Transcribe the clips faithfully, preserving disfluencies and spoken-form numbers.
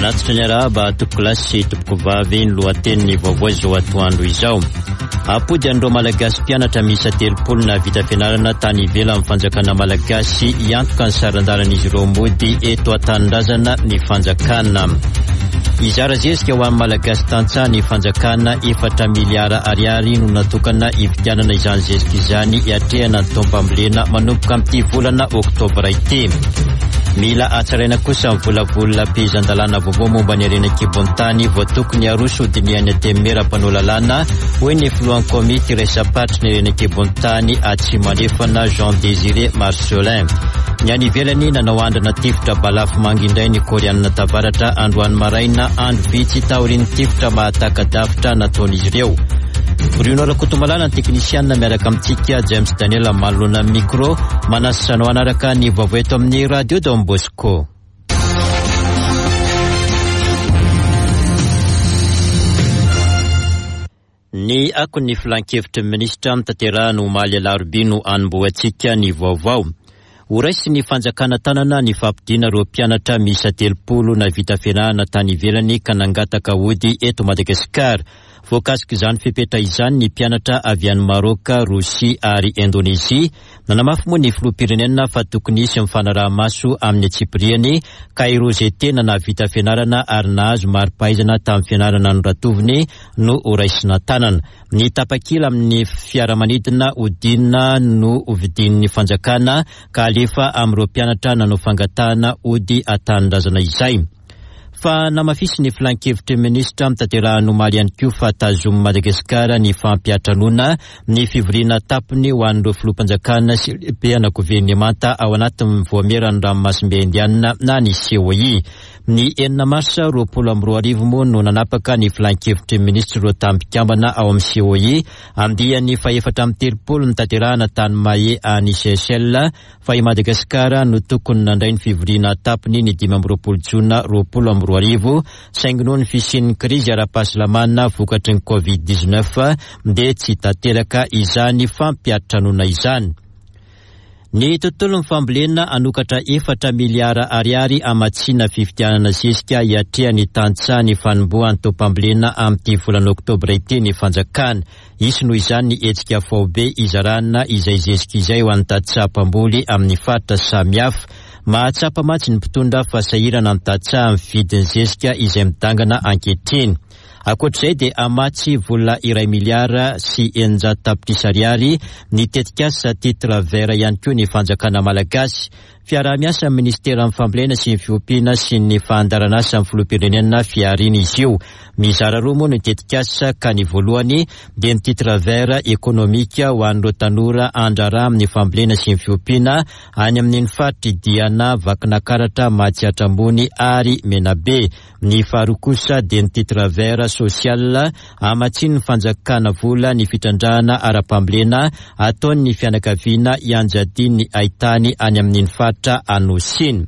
Manatitra ny arahaba tompokolahy sy tompokovavy ny lohatenin'ny vaovao izao atoandro izao. Ampody an'ireo Malagasy mpianatra miisa telopolo nahavita fianarana tany ivelan'ny fanjakana malagasy hiantoka ny saran-dalan'izy ireo mody eto an-tanindrazana ny fanjakana. Hizara zezika ho an'ny Malagasy tantsaha ny fanjakana, efatra miliara ariary no natokana hividianana izany zezika izany hiatrehana ny taom-pambolena manomboka amin'ity volana oktobra ity. Mila hatsaraina kosa ny volavolam-pehezan-dalàna vaovao momba ny harena an-kibon'ny tany vao tokony haroso hodinihan'ny Antenimiera mpanao lalàna, hoy ny filohan'ny komity iraisam-paritry ny harena an-kibon'ny tany Atsimo Andrefana Jean Désiré Marcelin. Ny any ivelany, nanao andrana tifitra balafomanga indray ny Koreanina Tavaratra androany maraina, andro vitsy taorian'ny tifitra mahataka-davitra nataon'izy ireo. Bruno Rakotomalala ny teknisianina miaraka amintsika, James Daniel manoloana ny micro, manasa anao hanaraka ny vaovao eto amin'ny Radio Don Bosco. Ny akon'ny filan-kevitry ny minisitra notanterahina omaly alarobia no anombohantsika ny vaovao. Horaisin'ny fanjakana tanana ny fampodiana ireo mpianatra miisa telopolo nahavita fianarana tany ivelany ka nangataka hody eto Madagasikara. Voakasik'izany fepetra izany ny mpianatra avy any Maroka, Rosia ary Indonezia. Nanamafy moa ny filoham-pirenena fa tokony hisy ny fanaraha-maso amin'ny antsipiriany ka ireo izay tena nahavita fianarana ary nahazo mari-pahaizana tamin'ny fianarana noratoviny no horaisina tanana. Ny tapakila amin'ny fiaramanidina hodinina no hovidian'ny fanjakana ka alefa amin'ireo mpianatra nanao fangatahana hody an-tanindrazana izay. Fa namafisy ny filan-kevitry ny minisitra notanterahina omaly ihany koa fa tazomin'i Madagasikara ny fampiantranoana ny fivoriana tampony ho an'ireo filoham-panjakana sy lehiben'ny governemanta ao anatin'ny voamieran'ny ranomasimbe Indianina na ny C O I. Ny enina marsa roapolo amby roa arivo moa no nanapaka ny filan-kevitry ny minisitra ireo tampikambana ao amin'ny C O I andiany fahefatra amby telopolo notanterahina tany Mahé any Seychelles fa i Madagasikara no tokony nandray ny fivoriana tampony ny dimy amby roapolo jona roapolo amby roa arivo, saingy noho ny fisian'ny krizy ara-pahasalamana vokatry ny covid dix-neuf dia tsy tanteraka izany fampiantranoana izany. Ny tontolon'ny fambolena hanokatra efatra miliara ariary hamatsiana fividianana zezika hiatrehan'ny tantsaha ny fanombohan'ny taom-pambolena amin'ity volana oktobra ity ny fanjakana. Hisy noho izany ny hetsika faobe izarana izay zezika izay ho an'ny tantsaha mpamboly amin'ny faritra samihafa. Mahatsapa mantsy ny mpitondra fa sahirana ny tantsaha amin'ny vidin'ny zezika izay midangana ankehitriny. Ankoatr'izay dia hamatsy vola iray miliara sy eninjato tapitrisa ariary ny tetikasa titre vert ihany koa ny fanjakana malagasy. Fiaraha-miasa amin'ny ministeran'ny fambolena sy ny fiompiana sy ny fandaharanasa amin'ny filoham-pirenena Fihariana izy io. Mizara roa moa ny tetikasa ka ny voalohany dia ny titre vert ekonomika ho an'ireo tanora andraharaha amin'ny fambolena sy ny fiompiana any amin'iny faritry Diana, Vakinakaratra, Matsiatra Ambony ary Menabe. Ny faharoa kosa dia ny titre vert social hamatsian'ny fanjakana vola ny fitrandrahana ara-pambolena ataon'ny fianakaviana ianjadian'ny haitany any amin'iny faritra Anosy iny.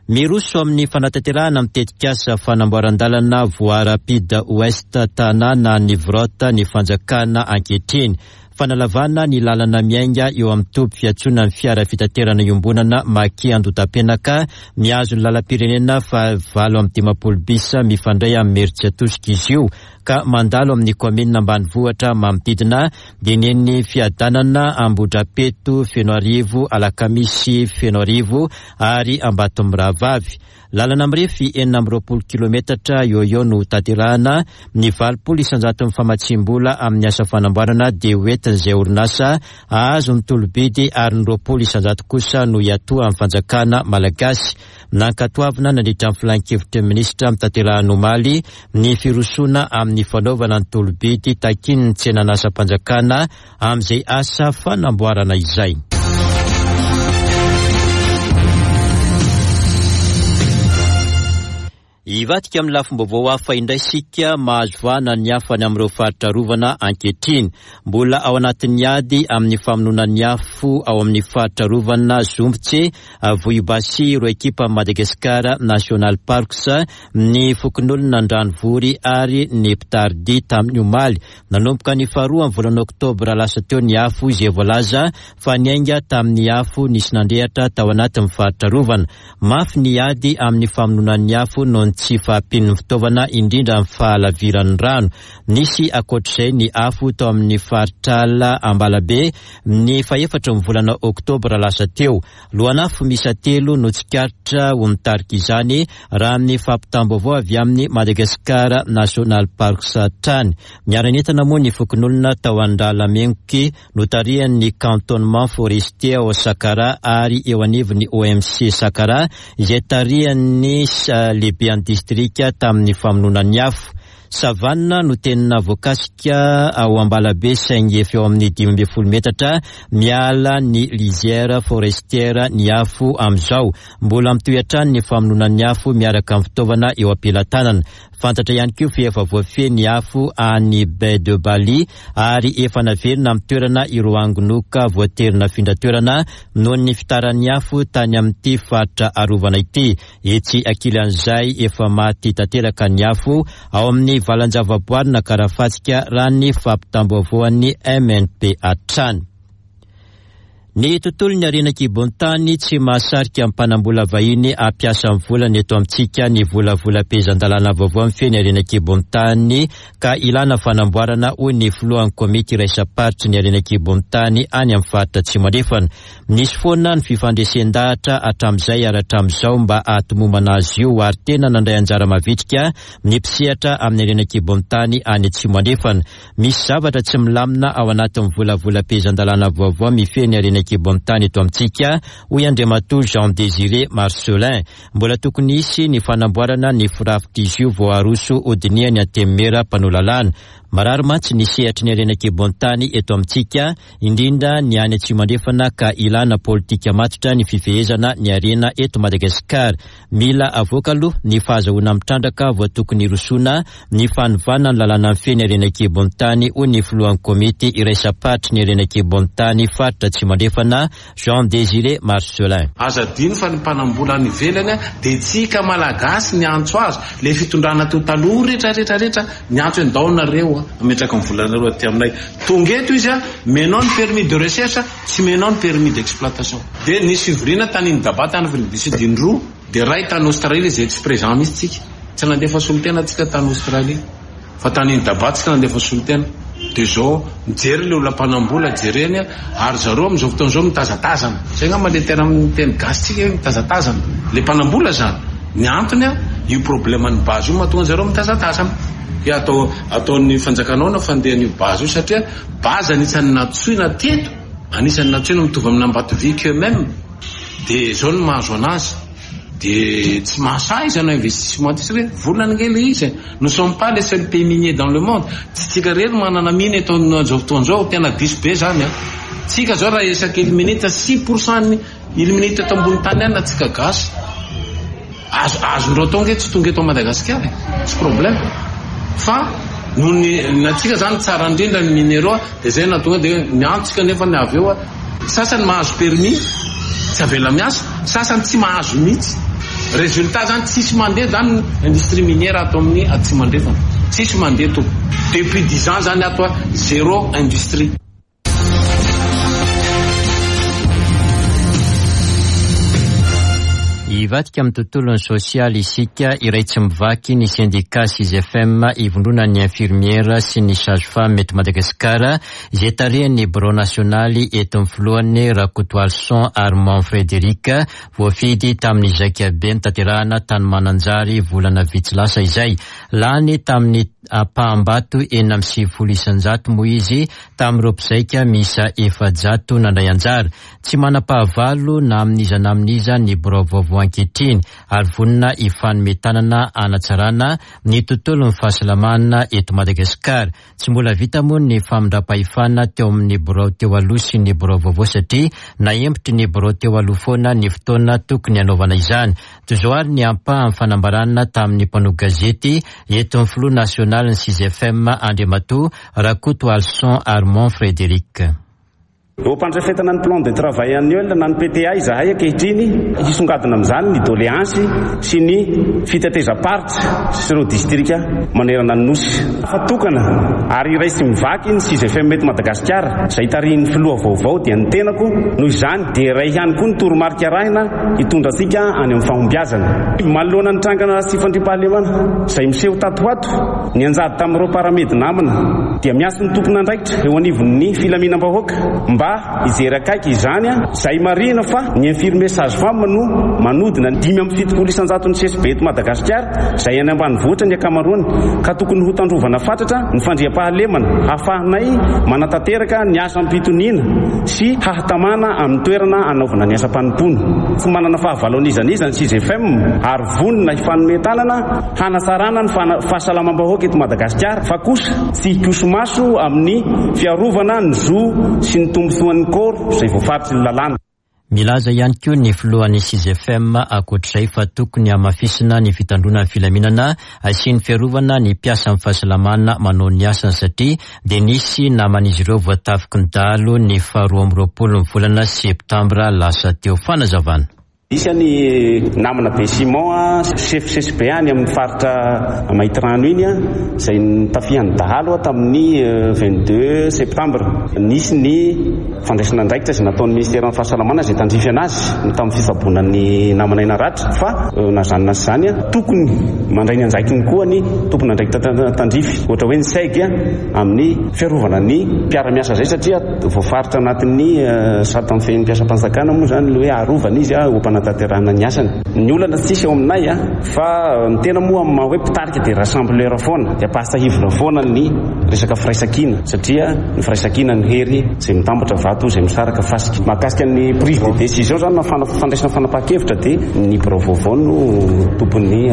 Miroso amin'ny fanatanterahana amin'ny tetikasa fanamboaran-dalana voie rapide Ouest Tanàna ny Vrota ny fanjakana ankehitriny. Fanalavana ny lalana miainga eo amin'ny toby fiantsoana ny fiara fitaterana iombonana Maki Andotapenaka mihazo ny lalam-pirenena fa valo amby dimampolo bis mifandray amin'ny Imerintsiatosika izy io ka mandalo amin'ny kaominina ambanivohitra manodidina dia ny eny Fiadanana, Ambohidrapeto, Fenoarivo, Alakamisy, Fenoarivo ary Ambatomirahavavy. Lalana mirefy enina amby roapolo kilometatra eo eo no tanterahana. Ny valopolo isanjaton'ny famatsiam-bola amin'ny asa fanamboarana dia hoentin'izay orinasa hahazo ny tolobidy ary ny roapolo isanjato kosa no hiatoa amin'ny fanjakana malagasy. Nankatoavina nandritra ny filan-kevitry ny minisitra notanterahina omaly ny firosoana amin'ny fanaovana ny tolobidy takian'ny tsenan'asam-panjakana amin'izay asa fanamboarana izay. Hivadika amin'ny lafim-baovao hafa indray isika, mahazo vahana ny hafa any amin'ireo faritra arovana ankehitriny. Mbola ao anatin'ny ady amin'ny famonoana ny afo ao amin'ny faritra arovana Zombitse, Vohibasy, ireo ekipa Madagascar National Parks, ny fokonolona Andranovory ary ny mpitaridia tamin'ny omaly. Nanomboka ny faharoa amin'ny volana oktobra lasa teo ny afo izay voalaza fa niainga tamin'ny afo nisy nandrehitra tao anatin'ny faritra arovana. Mafy ny ady amin'ny famonoana ny afo noho ny tsy fahampian'ny fitaovana, indrindra ny fahalaviran'ny rano. Nisy ankoatr'izay ny afo tao amin'ny faritrala Ambalabe ny fahefatry ny volana oktobra lasa teo. Lohan'afo miisa telo no tsikaritra ho nitarika izany raha ny fampitam-baovao avy amin'ny Madagascar National Parks hatrany. Niara-nientana moa ny fokonolona tao Andralamengoky notarihan'ny cantonnement forestier ao Sakara ary eo anivon'ny O M C Sakara izay tarihan'ny lehiben'ny distrika tamin'ny famonoana ny afo. Savanina no tena voakasika ao Ambalabe saingy efa eo amin'ny dimy ambin'ny folo metatra miala ny lisière forestière ny afo amin'izao. Mbola mitohy hatrany ny famonoana ny afo miaraka amin'ny fitaovana eo am-pelatanana. Fantatra ihany koa fa efa voafehy ny afo any Baie de Bali ary efa naverina amin'ny toerana ireo angonoka voatery nafindra toerana noho ny fitaran'ny afo tany amin'ity faritra arovana ity. Etsy ankilan'izay efa maty tanteraka ny afo ao amin'ny valan-javaboarina Karafatsika raha ny fampitam-baovaon'ny M N P hatrany. Ny tontolon'ny harena an-kibon-tany tsy mahasarika mpanambola vahiny hampiasa ny volany eto amintsika ny volavolam-pehezan-dalàna vaovao mifehy ny harena an-kibon-tany ka ilana fanamboarana, hoy ny filohan'ny komity iraisam-paritry ny harena an-kibon-tany any amin'ny faritra Atsimo Andrefana. Nisy foana ny fifandresen-dahatra hatramin'izay ary hatramin'izao mba hahatomomana azy io ary tena nandray anjara mavitrika ny mpisehatra amin'ny harena an-kibon-tany any Atsimo Andrefana. Misy zavatra tsy milamina ao anatin'ny volavolam-pehezan-dalàna vaovao mifehy ny harena an-kibon-tany eto amintsika, hoy Andriamatoa Jean Désiré Marcelin. Mbola tokony hisy ny fanamboarana ny firafitr'izy io vao aroso hodinihan'ny antenimiera mpanao lalàna. Marary mantsy ny sehatry ny harena an-kibon-tany eto amintsika, indrindra ny any Atsimo Andrefana ka ilana politika matotra ny fifehezana ny harena eto Madagasikara. Mila avoaka aloha ny fahazahoana mitrandraka vao tokony hirosoana ny fanovana ny lalàna mifehy ny harena an-kibon-tany, hoy ny filohan'ny komity iraisam-paritry ny harena an-kibon-tany faritra Atsimo Andrefana, Jean Désiré Marcelin. Aza adino fa ny mpanambola any ivelany dia tsika malagasy niantso azy, le fitondrana teo taloha rehetra rehetra rehetra niantso hoe ndao nareo ametraka ny volanareo aty aminay. Tonga eto izy a, menao ny permis de recherche, tsy menao ny permis d'exploitation. Dia nisy fivoriana tany Indaba tany Afrique du Sud indroa, dia ray tany Australie izay tsy présent mihitsy tsika. Tsy nandefa solontena tsika tany Australie, fa tany Indaba tsika nandefa solontena. Dia zao mijery le olona mpanambola jereny ary zareo amin'izao fotoana izao mitazatazana. Zay angamba le tena amin'ny teny gasy tsika hoe mitazatazana. Le mpanambola zany, ny antony a, io problème ny base io mahatonga zareo mitazatazana. Dia atao, ataon'ny fanjakanao na fandehan'io base io satria base anisan'ny natsoina teto, anisan'ny natsoina mitovy amin'ny Ambatovy eux-mêmes. Dia zao no mahazo anazy. Dia tsy mahasahy izy hanao investissement ty satria volana ange le izy. Nous sommes pas les seuls pays miniers dans le monde. Tsy tsika rery manana mine eto amin'izao fotoana izao, tena diso be zany a. Tsika zao raha isaky illuminite six pour cent ny illuminite eto ambony tany any na tsika gasy. Azo, azondreo atao ange tsy tonga eto Madagasikara e. Tsy problème. Fa noho ny natsika zany tsara indrindra ny minéraux dia zay nahatonga dia miantsika nefa ny avy eo a. Sasany mahazo permis tsy avela miasa, sasany tsy mahazo mihitsy. Résultat zany tsisy mandeha zany industrie minière ato amin'ny Atsimo Andrefana. Tsisy mandeha to. Depuis dix ans zany ato a, zéro industrie. Hivadika amin'ny tontolon'ny sosialy isika, iray tsy mivaky ny sendika S I F M ivondronan'ny infirmiera sy ny sage-femme eto Madagasikara izay tarihan'ny birao nasionaly eto amin'ny filohany Rakotoarison Armand Frédéric voafidy tamin'ny zaikabe notanterahana tany Mananjary volana vitsy lasa izay. Lany tamin'ny ampaham-bato enina amby sivifolo isan-jato moa izy tamin'ireo mpizaika miisa efajato nandray anjara. Tsy manam-pahavalo na amin'iza na amin'iza ny birao vaovao ankehitriny ary vonona hifanome tanana hanatsarana ny tontolon'ny fahasalamana eto Madagasikara. Tsy mbola vita moa ny famindram-pahefana teo amin'ny birao teo aloha sy ny birao vaovao satria nahempotry ny birao teo aloha foana ny fotoana tokony hanaovana izany. Toy izao ary ny ampahan'ny fanambarana tamin'ny mpanao gazety eto amin'ny filoha nasionalin'ny S I F M Andriamatoa Rakotoarison Armand Frédéric. Eo am-pandrafetana ny plan de travail annuel na ny P T A izahay ankehitriny. Hisongadina amin'izany ny doléance sy ny fitetezam-paritra sy ireo distrika manerana ny nosy. Fa tokana ary iray sy mivaky ny SIGEFM eto Madagasikara izay tarihin'ny filoha vaovao, dia ny tenako. Noho izany dia iray ihany koa ny toromarika arahina hitondra antsika any amin'ny fahombiazana. Manoloana ny trangana tsy fandriampahalemana izay miseho tato ho ato ny anjady tamin'ireo paramed namana, dia miantso ny tompon'andraikitra eo anivon'ny filaminam-bahoaka mba hijery akaiky izany a izay marihina fa ny infirmier sage femme no manodina dimy amin'ny fitopolo isanjato ny C S B eto Madagasikara, izay any ambanivohitra ny ankamaroany, ka tokony ho tandrovana fatratra ny fandriampahalemana hahafahanay manatanteraka ny asa am-pitoniana sy hahatamana amin'ny toerana anaovana ny asa-panompony. Tsy manana fahavalo an'iza n'iza ny SIGEFM ary vonona hifanome tanana hanatsarana ny fahasalamam-bahoaka eto Madagasikara, fa kosa tsy hikoso-maso amin'ny fiarovana ny zo sy ny tombontsoan'ny koro izay voafaritry ny lalàna. Milaza ihany koa ny filohan'ny SIGEFM ankoatr'izay fa tokony hamafisina ny fitandroana ny filaminana sy ny fiarovana ny mpiasa amin'ny fahasalamana manao ny asany, satria dia nisy naman'izy ireo voatafiky ny dahalo ny faharoa amby roapolo ny volana septambra lasa teo. Fanazavana. Isy any namana be Simon, chef C S B any amin'ny faritra Maintirano iny a izay nitafihan'ny dahalo a tamin'ny vingt-deux septembre. Nisy ny fandraisana andraikitra izay nataon'ny ministère ny fahasalamana izay tandrify anazy tamin'ny fitsaboana ny namana naratra, fa na zany na zany a tokony mandray ny andraikiny koa ny tompony andraikitra tandrify, ohatra hoe ny SEG, amin'ny fiarovana ny mpiara-miasa zay, satria voafaritra anatin'ny sata mifehy ny mpiasam-panjakana moa zany le hoe arovana izy a ompanatanterahana ny asany. Ny olana tsisy eo aminay a fa ny tena moa amin'ny maha hoe mpitarika dia rassembleur foana, dia ampahasahivina foana ny resaka firaisankina, satria ny firaisankina ny hery, zay mitambatra vato, zay misaraka fasika. Mahakasika ny prise de décision zany na fandraisana fanapahan-kevitra, dia ny birao vaovao no tompon'ny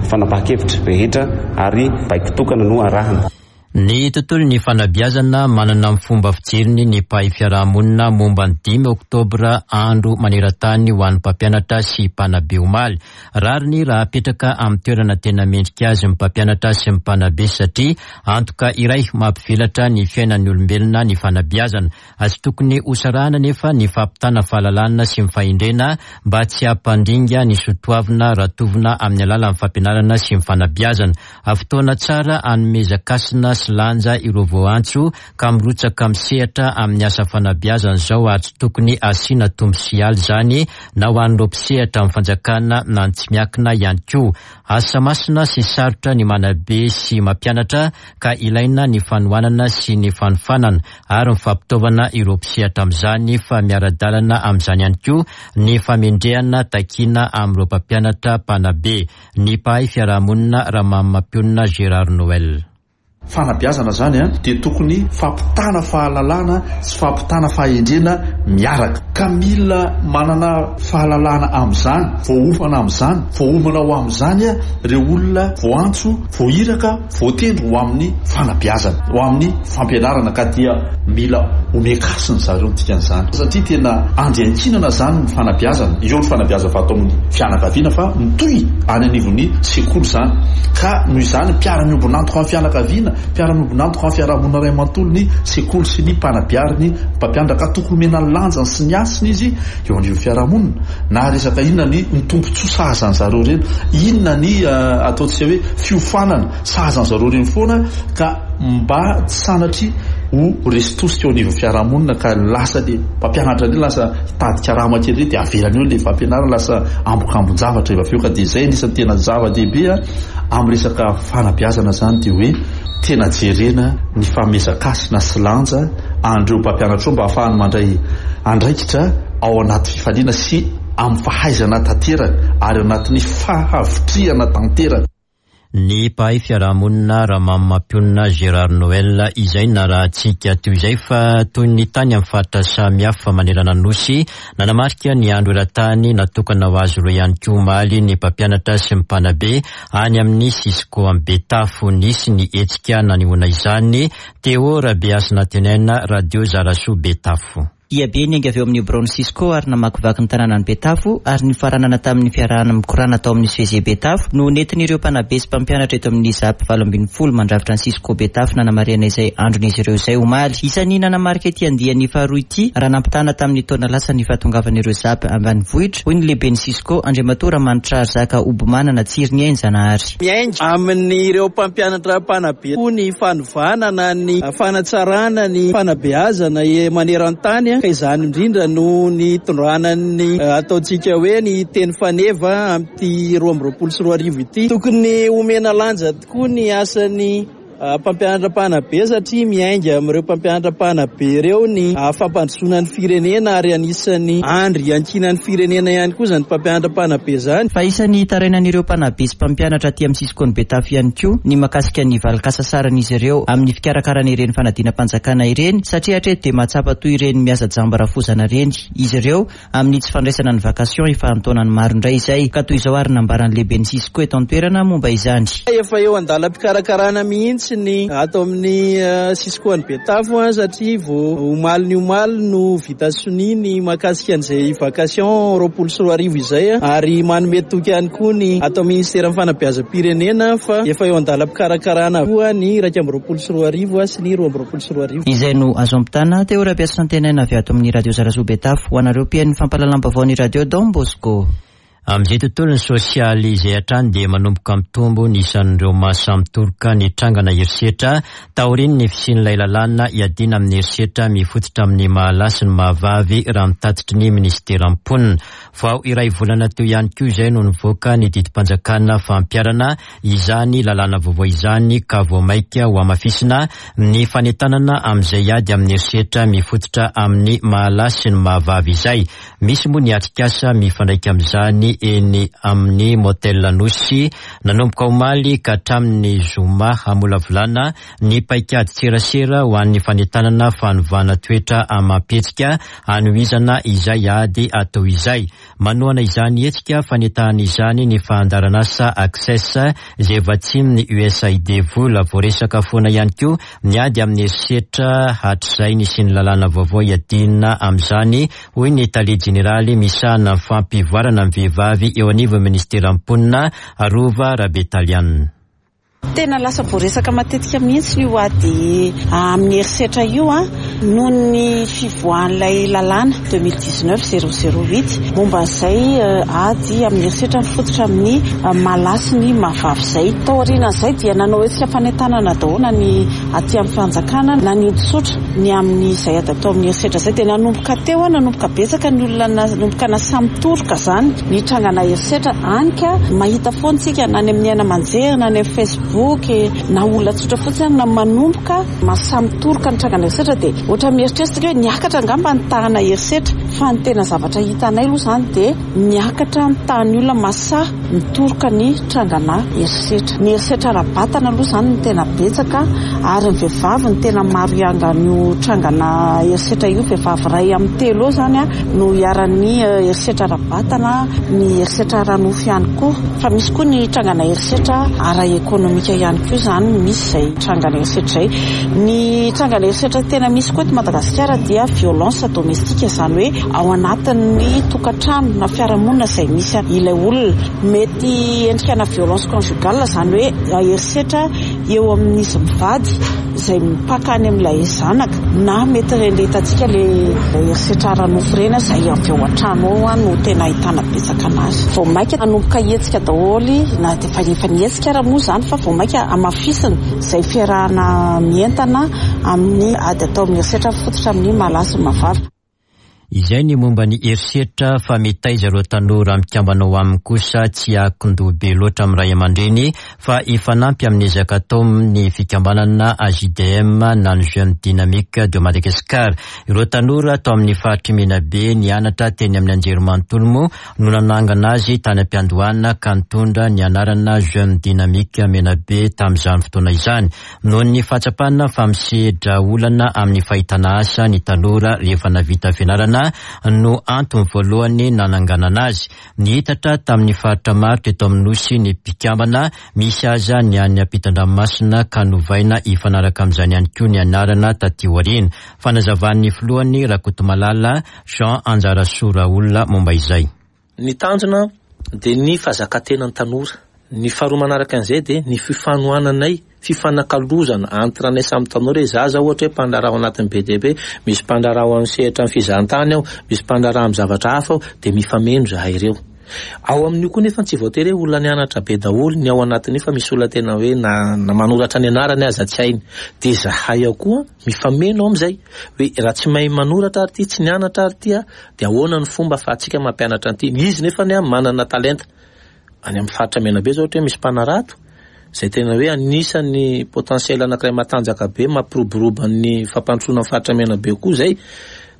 fanapahan-kevitra rehetra ary baiko tokana no arahana. Ny tontolo ny fanabeazana, manana amin'ny fomba fijeriny ny mpahay fiarahamonina momba ny dimy oktobra, andro maneran-tany ho an'ny mpampianatra sy mpanabe omaly. Rariny raha apetraka amin'ny toerana tena mendrika azy ny mpampianatra sy ny mpanabe, satria antoka iray mampivelatra ny fiainan'ny olombelona ny fanabeazana. Tsy tokony hosarahana nefa ny fampitana fahalalana sy ny fahendrena mba tsy hampandringa ny soatoavina ratovina amin'ny alalan'ny fampianarana sy ny fanabeazana. Fotoana tsara anomezan-kasina sy lanja ireo voantso ka mirotsaka misehatra amin'ny asa fanabeazana izao, ary tsy tokony asiana tombo sy aly zany na ho an'ireo mpisehatra amin'ny fanjakana na ny tsy miankina ihany koa. Asa masina sy sarotra ny manabe sy mampianatra, ka ilaina ny fanohanana sy ny fanofanana ary ny fampitaovana ireo mpisehatra amin'izany, fa miara-dalana amin'izany ihany koa ny famendrehana takiana amin'ireo mpampianatra mpanabe. Ny mpahay fiarahamonina Ramamapionina Gérard Noel. Fanabeazana zany a dia tokony fampitana fahalalana sy fampitana fahendrena miaraka, ka mila manana fahalalana am'izany, voaofana am'izany, voaomana ho am'izany a reo olona voantso, voahiraka, voatendry ho amin'ny fanabeazana, ho amin'ny fampianarana, ka dia mila omen-kasina zareo ny dikan'izany, satria tena andry iankinana zany ny fanabeazana eo. Ny fanabeazana fa atao amin'ny fianakaviana fa mitohy any anivon'ny sekoly zany, ka noho izany mpiara-miombon'antoka amin'ny fianakaviana, mpiara-miombon'antoka amin'ny fiarahamonina iray manontolo ny sekoly sy ny mpanabe ary ny mpampianatra, ka tokony omena ny lanjany sy ny hasiny izy eo anivon'ny fiarahamonina. Na resaka inona ny ny tombontsoa sahazany zareo reny, inona ny ataontsika hoe fiofanana sahazany zareo reny foana, ka mba tsy sanatria ho resy tosika eo anivon'ny fiarahamonina, ka lasa le mpampianatra reny lasa hitady karama kely reny, dia avelany eo le fampianarana, lasa ambokambon-javatra eva avy eo. Ka dia zay anisan'ny tena zava-dehibe a amin'ny resaka fanabeazana zany, dia hoe tena jerena ny fanomezan-kasina sy lanja an'ireo mpampianatra eo mba ahafahany mandray andraikitra ao anaty fifaliana sy amin'ny fahaizana tanteraka ary anatin'ny fahavitrihana tanteraka. Ny mpahay fiarahamonina Ramamapionina Gérard Noel izay narahantsika teo izay. Fa toy ny tany amin'ny faritra samihafa manerana nosy, nanamarika ny andro eran-tany natokana ho azy ireo ihany koa omaly ny mpampianatra sy ny mpanabe any amin'ny Cisco Betafo. Nisy ny hetsika nanehoana izany. Teo Rabeasina Tenaina, Radio Zarasoa, Betafo. Diabe niainga avy eo amin'ny biraon'ny Cisco ary namakivaky ny tanànan'i Betafo ary nifaranana tamin'ny fiarahana mikorana tao amin'ny C G Betafo no nentin'ireo mpanabe sy mpampianatra eto amin'ny ZAP valo ambin'ny folo mandrafitra ny Cisco Betafo nanamarihana izay andron'izy ireo izay omaly. Isan'ny nanamarika ity andiany faharoa ity raha nampitana tamin'ny taona lasa ny fahatongavan'ireo ZAP ambanivohitra, hoy ny lehiben'ny Cisco Andriamatoa Ramanitra Zaka Obomanana Tsiriniainy Zanahary. Miainga amin'ireo mpampianatra mpanabe koa ny fanovana na ny fanatsarana ny fanabeazana maneran-tany, ka izany indrindra no nitondrana ny ataontsika hoe ny teny faneva amin'ity roa amby roapolo sy roa arivo ity. Tokony omena lanja tokoa ny asan'ny mpampianatra mpanabe satria miainga amin'ireo mpampianatra mpanabe ireo ny fampandrosoana ny firenena ary anisan'ny andry iankinan'ny firenena ihany koa izany mpampianatra mpanabe izany. Fa isan'ny tarainan'ireo mpanabe sy mpampianatra aty amin'ny Cisco ny Betafo ihany koa ny mahakasika ny valin-kasasaran'izy ireo amin'ny fikarakarana ireny fanadinam-panjakana ireny, satria hatreto dia mahatsapa toy ireny miasa jamba rafozana ireny izy ireo amin'ny tsy fandraisana ny vacation efa an-taonany maro indray izay, ka toy izao ary nambaran'ny lehiben'ny Cisco eto an-toerana momba izany. Efa eo an-dalam-pikarakarana mihitsy ny ato amin'ny Cisco ny Betafo satria vao omaly ny omaly no vita sonia ny mahakasika an'izay vacation roapolo sy roa arivo izay, ary manome toky ihany koa ny ato amin'ny ministeran'ny fanabeazam-pirenena fa efa eo an-dalam-pikarakarana koa ny iraika amby roapolo sy roa arivo sy ny roa amby roapolo sy roa arivo. Izay no azo ampitana teo Rabiasantenaina avy ato amin'ny Radio Zarasoa Betafo ho anareo mpihaino ny fampahalalam-baovao ny Radio Don Bosco. Amin'izay tontolon'ny sosialy izay hatrany dia manomboka mitombo ny isan'ireo maha mitoroka ny trangana herisetra taorian'ny fisian'ilay lalàna iadiana amin'ny herisetra mifototra amin'ny mahalahy sy ny mahavavy raha mitatitry ny ministeran'ny mponina. Vao iray volana teo ihany koa izay no nivoaka ny didim-panjakana fampiharana izany lalàna vaovao izany, ka vao mainka ho hamafisina ny fanentanana amin'izay ady amin'ny herisetra mifototra amin'ny mahalahy sy ny mahavavy izay. Misy moa ny atrikasa mifandraika amin'izany eny amin'ny motel Anosy nanomboka omaly ka hatramin'ny zoma hamolavolana ny paikady tserasera ho an'ny fanentanana fanovana toetra amam-pihetsika hanohizana izay ady atao izay. Manohana izany hetsika fanentanana izany ny fandaharanasa Access izay vatsian'ny U S A I D vola. Voaresaka foana ihany koa ny ady amin'ny herisetra hatrizay nisian'ny lalàna vaovao iadiana amin'izany, hoy ny tale jeneraly misahana fampivoarana ny vehivavy eo anivon'ny ministeran'ny mponina Arova Rabetaliana. Tena lasa voaresaka matetika mihitsy io ady amin'ny herisetra io a, noho ny fivoahan'ilay lalàna deux mille dix-neuf zéro zéro huit momba an'izay ady amin'ny herisetra mifototra amin'ny mahalahy sy ny mahavavy izay. Taorian'izay dia nanao hetsika fanentanana daholo na ny aty amin'ny fanjakana na ny olon-tsotra ny amin'izay ady atao amin'ny herisetra izay. Dia nanomboka teo a, nanomboka betsaka ny olona nanomboka nasamy toroka izany ny trangana herisetra, any ka mahita foana isika na any amin'ny haino aman-jery na any amin'ny Facebook na olona tsotra fotsiny na manomboka mahasamy toroka ny trangana herisetra. Dia ohatra mieritreritra hoe niakatra angamba ny tahana herisetra, fa ny tena zavatra hitanay aloha izany dia niakatra ny tahan'ny olona mahasahy mitoroka ny trangana herisetra. Ny herisetra ara-batana aloha izany no tena betsaka, ary ny vehivavy no tena maro iangan'io trangana herisetra io. Vehivavy iray amin'ny telo eo izany no iharan'ny herisetra ara-batana, ny herisetra ara-nofo ihany koa, fa misy koa ny trangana herisetra ara-ekonomika ihany koa izany misy izay trangana herisetra izay. Ny trangana herisetra tena misy koa eto Madagasikara dia violence domestique, izany hoe ao anatin'ny tokantrano na fiarahamonina izay misy ilay olona. Mety endrika na violence conjugale, izany hoe herisetra eo amin'izy mivady izay mipaka any amin'ilay zanaka, na mety ireny hitantsika ilay herisetra ara-nofo ireny izay avy ao an-trano ao no tena ahitana betsaka anazy. Vao mainka hanomboka hetsika daholo, na dia efa efa nihetsika ara moa izany, fa vao mainka hamafisina izay fiarahana mientana amin'ny ady atao amin'ny herisetra mifototra amin'ny mahalahy sy ny mahavavy. Izay ny momba ny herisetra, fa mitaiza ireo tanora mikambana ao aminy kosa tsy akondoha be loatra amin'ny ray aman-dreny fa hifanampy amin'ny ezaka atao ny fikambanana A J D M na ny Jeune Dynamique de Madagascar. Ireo tanora tao amin'ny faritry Menabe nianatra teny amin'ny anjerimanontolo moa no nanangana azy tany am-piandohana ka nitondra ny anarana Jeune Dynamique Menabe tamin'izany fotoana izany. Noho ny fahatsapana fa misedra olana amin'ny fahitana asa ny tanora rehefa navita fianarana fianarana no antony voalohany nananganana azy. Nihitatra tamin'ny faritra maro teto amin'ny Nosy ny mpikambana, misy aza ny any ampitan-dranomasina ka novaina hifanaraka amin'izany ihany koa ny anarana taty aoriana. Fanazavan'ny filohany Rakotomalala Jean Anjarasoa Raolona momba izay. Ny tanjona dia ny fahazakatenan'ny tanora. Ny faharoa manaraka an'izay dia ny fifanohananay, fifanakalozana entre anay samy tanora. Hoe za zao ohatra hoe mpandraharaha ao anatin'ny B D B, misy mpandraharaha ao amin'ny sehatra amin'ny fizahantany ao, misy mpandraharaha amin'ny zavatra hafa ao, dia mifameno zahay ireo. Ao amin'io koa nefa tsy voatery hoe olona nianatra be daholo ny ao anatin'io, fa misy olona tena hoe na, na manoratra ny anarany aza tsy hainy. Dia zahay ao koa mifameno amin'izay. Hoe raha tsy mahay manoratra ary ity, tsy nianatra ary ity, dia ahoana ny fomba ahafahantsika mampianatra an'ity? Izy nefa ny manana talenta. Any amin'ny faritra Menabe zao ohatra hoe misy mpanarato, izay tena hoe anisan'ny potentiel anankiray matanjaka be mampiroboroba ny fampandrosoana ny faritra Menabe koa izay.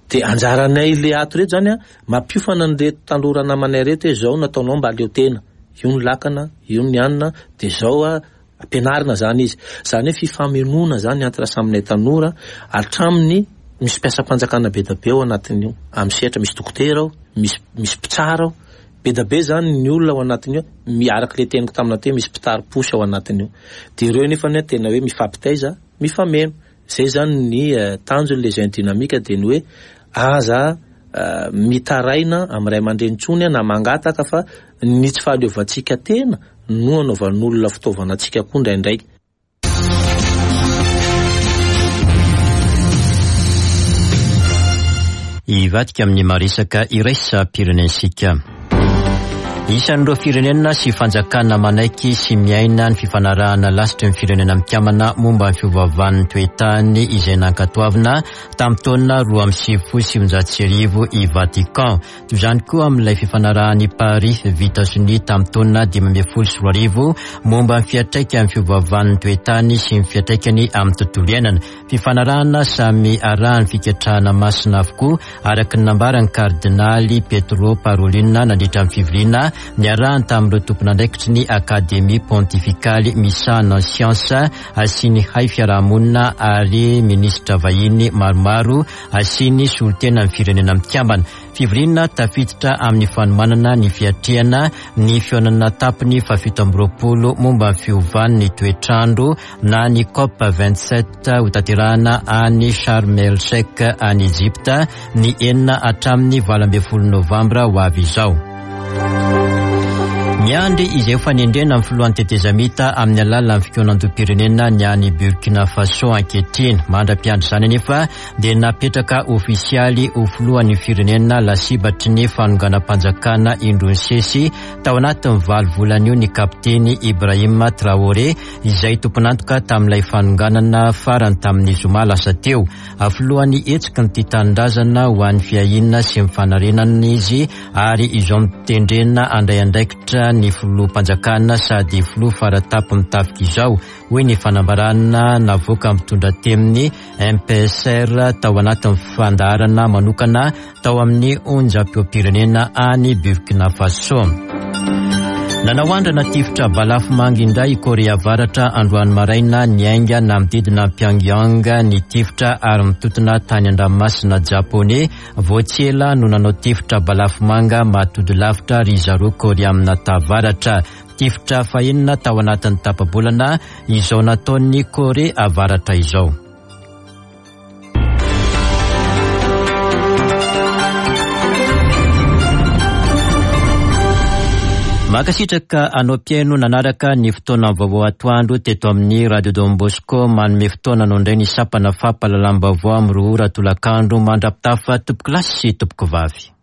Dia anjaranay le ato reto zany a, mampiofana an'ireto tanora namanay reto hoe zao no ataonao mba aleo tena. Io ny lakana, io ny hanina, dia zao a ampianarina zany izy. Zany hoe fifamenoana zany entre saminay tanora, hatramin'ny misy mpiasam-panjakana be dia be ao anatin'io. Amin'ny sehatra misy dokotera ao, misy, misy mpitsara ao. Be dia be zany ny olona ao anatin'io, miaraka le teniko tamina teo, misy mpitari-posy ao anatin'io. Dia ireo nefa ny tena hoe mifampitaiza, mifameno. Zay zany ny tanjon'ny les jeunes dynamiques, dia ny hoe aza mitaraina amin'ny ray aman-dreny intsony na mangataka, fa ny tsy fahaleovantsika tena no anaovan'olona fitaovana antsika koa indraindray. Hivadika amin'ny maresaka iraisam-pirenentsika. Isan'ireo firenena sy fanjakana manaiky sy miaina ny fifanarahana lasitry ny firenena mikambana momba ny fiovaovan'ny toetany izay nankatoavina tamin'ny taona roa amby sivifolo sy sivinjato sy arivo i Vatican. Toy izany koa amin'ilay fifanarahan'i Paris vita sonia tamin'ny taona dimy ambin'ny folo sy roa arivo momba ny fiantraikan'ny fiovaovan'ny toetany sy ny fiantraikany amin'ny tontolo iainana. Fifanarahana samy arahan'ny fiketrahana masina avokoa araka ny nambaran'ny kardinaly Pietro Parolin nandritra ny fivoriana niarahany tamin'ireo tompon'andraikitry ny Akademia Pontifikaly misahana siansa sy ny hay fiarahamonina ary minisitra vahiny maromaro sy ny solontena ny firenena mikambana. Fivoriana tafiditra amin'ny fanomanana ny fiatrehana ny fihaonana tampony fahafito amby roapolo momba ny fiovan'ny toetrandro na ny COP vingt-sept hotanterahana any Sharm El Sheikh any Egypta ny enina hatramin'ny valo ambin'ny folo novambra ho avy izao. Miandry izay fanendrena amin'ny filohan'ny tetezamita amin'ny alalan'ny fikaonandoham-pirenena ny any Burkina Faso ankehitriny. Mandra-piandry izany anefa dia napetraka ofisialy ho filohan'ny firenena lasibatry ny fanonganam-panjakana indroa nisesy tao anatin'ny valo volana io ny kapiteny Ibrahim Traoré izay tompon'antoka tamin'ilay fanonganana farany tamin'ny zoma lasa teo. Filohan'ny hetsiky ny tia tanindrazana ho an'ny fiahiana sy ny fanarenana izy ary izao mitendrena handray andraikitra ny filoham-panjakana sady filoha faratampony tafika izao, hoy ny fanambarana navoaka mitondra temin'ny M P S R tao anatin'ny fandaharana manokana tao amin'ny onjam-peom-pirenena any Burkina Faso. Nanao andrana tifitra balafomanga indray i Korea Avaratra androany maraina niainga namodidina Pyongyang ny tifitra ary mitotona tany an-dranomasina Japoney. Vao tsy ela no nanao tifitra balafomanga mahatody lavitra ry zareo Koreana Tavaratra. Tifitra fahenina tao anatin'ny tapa-bolana izao nataon'ny Korea Avaratra izao. Mankasitraka anao mpihaino nanaraka ny fotoana vaovao atoandro teto amin'ny Radio Don Bosco. Manome fotoana anao indray ny sampana fampahalalam-baovao amin'ny roa ora tolakandro. Mandra-pitafa tompoko lahy sy tompoko vavy.